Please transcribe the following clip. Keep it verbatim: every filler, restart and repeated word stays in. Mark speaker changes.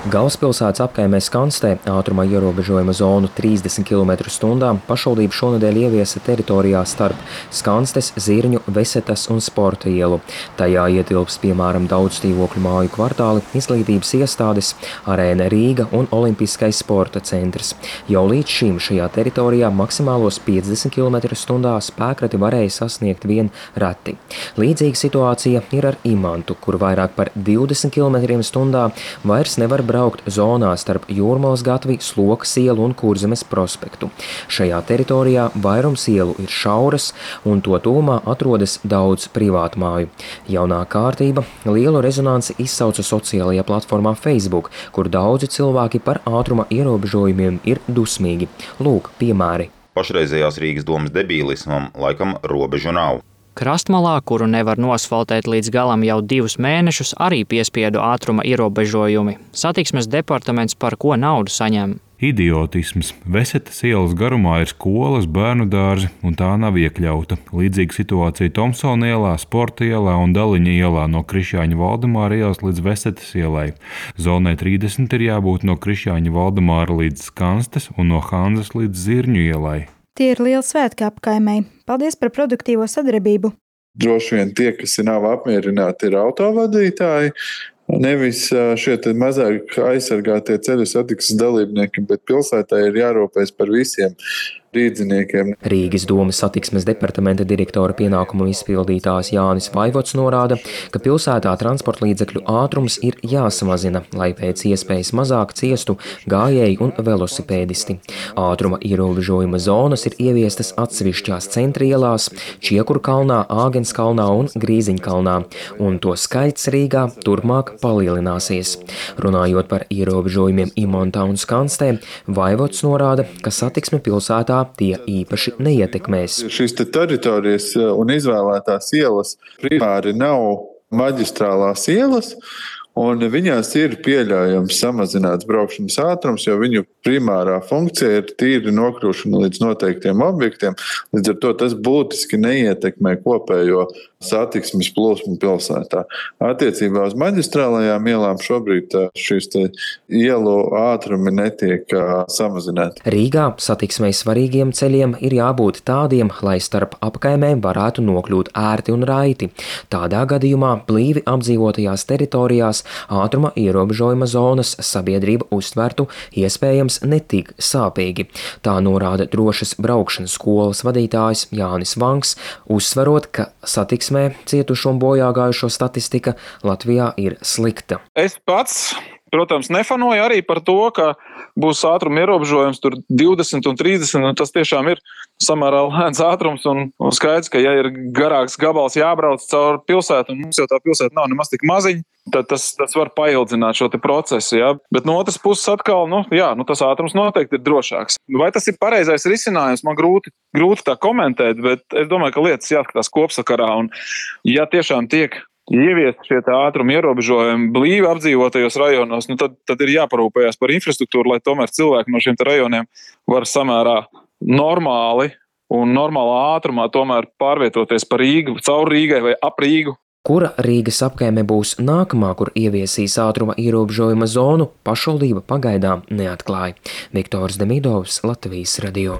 Speaker 1: Galvaspilsētas apkaimē Skanstē ātruma ierobežojuma zonu trīsdesmit kilometru stundā pašvaldība šonedēļ ieviesa teritorijā starp Skanstes, Zirņu, Vesetas un Sporta ielu. Tajā ietilps piemēram daudz dzīvokļu māju kvartāli, izglītības iestādes, Arēna Rīga un Olimpiskais sporta centrs. Jau līdz šim šajā teritorijā maksimālos piecdesmit kilometru stundā spēkrati varēja sasniegt vien reti. Līdzīga situācija ir ar Imantu, kur vairāk par divdesmit kilometriem stundā vairs nevar braukt zonā starp Jūrmalas gatvi, Slokas ielu un Kurzemes prospektu. Šajā teritorijā vairums ielu ir šauras un to tuvumā atrodas daudz privātmāju. Jaunā kārtība lielu rezonanci izsauca sociālajā platformā Facebook, kur daudzi cilvēki par ātruma ierobežojumiem ir dusmīgi. Lūk, piemēri.
Speaker 2: Pašreizējās Rīgas domas debīlismam laikam robežu nav.
Speaker 3: Krastmalā, kuru nevar nosfaltēt līdz galam jau divus mēnešus, arī piespiedu ātruma ierobežojumi. Satiksmes departaments par ko naudu saņem?
Speaker 4: Idiotisms. Vesetas ielas garumā ir skolas, bērnu dārzi, un tā nav iekļauta. Līdzīga situācija Tomsona ielā, Sporta ielā un Daliņa ielā no Krišjāņa Valdemāra ielas līdz Vesetas ielai. Zonai trīsdesmit ir jābūt no Krišjāņa Valdemāra līdz Skanstes un no Hanzas līdz Zirņu ielai.
Speaker 5: Tie ir lieli svētki apkaimei. Paldies par produktīvo sadarbību.
Speaker 6: Droši vien tie, kas nav apmierināti, ir autovadītāji, nevis šie mazāk aizsargātie ceļu satiksmes dalībnieki, bet pilsētā ir jārūpēs par visiem rīdziniekiem.
Speaker 1: Rīgas domas satiksmes departamenta direktora pienākumu izpildītājs Jānis Vaivots norāda, ka pilsētā transporta līdzekļu ātrums ir jāsamazina, lai pēc iespējas mazāk ciestu gājēji un velosipēdisti. Ātruma ierobežojuma zonas ir ieviestas atsevišķās centra ielās, Čiekurkalnā, Āgenskalnā un Grīziņkalnā, un to skaits Rīgā turpmāk palielināsies. Runājot par ierobežojumiem Imantā un Skanstē, Vaivots norāda, ka satiksme pilsētā tie īpaši neietekmēs.
Speaker 6: Šīs te teritorijas un izvēlētās ielas primāri nav maģistrālās ielas, un viņās ir pieļaujams samazināts braukšanas ātrums, jo viņu primārā funkcija ir tīri nokļūšana līdz noteiktiem objektiem. Līdz ar to tas būtiski neietekmē kopējo satiksmes plūsmu pilsētā. Attiecībā uz maģistrālajām ielām šobrīd šīs ielu ātrumi netiek samazināti.
Speaker 1: Rīgā satiksmei svarīgiem ceļiem ir jābūt tādiem, lai starp apkaimēm varētu nokļūt ērti un raiti. Tādā gadījumā blīvi apdzīvotajās teritorijās ātruma ierobežojuma zonas sabiedrība uztvertu iespējams netik sāpīgi. Tā norāda drošas braukšanas skolas vadītājs Jānis Vanks, uzsverot, ka satiksmē cietušo un bojāgājušo statistika Latvijā ir slikta.
Speaker 7: Es pats, protams, nefanoju arī par to, ka būs ātruma ierobežojums tur divdesmit un trīsdesmit, un tas tiešām ir samērā lēns ātrums, un, un skaidrs, ka ja ir garāks gabals jābrauc caur pilsētu, un mums jau tā pilsēta nav nemaz tik maziņa, tad tas, tas var paildzināt šo te procesu, jā. Bet no otras puses atkal, nu, jā, nu tas ātrums noteikti ir drošāks. Vai tas ir pareizais risinājums, man grūti, grūti tā komentēt, bet es domāju, ka lietas jāskatās kopsakarā, un ja tiešām tiek ieviest šie ātruma ierobežojumi blīvi apdzīvotajos rajonos, nu tad, tad ir jāparūpējās par infrastruktūru, lai tomēr cilvēki no šiem rajoniem var samērā normāli un normālā ātrumā tomēr pārvietoties pa Rīgu, caur Rīgai vai ap Rīgu.
Speaker 1: Kura Rīgas apkaime būs nākamā, kur ieviesīs ātruma ierobežojuma zonu, pašvaldība pagaidām neatklāja. Viktors Demidovs, Latvijas radio.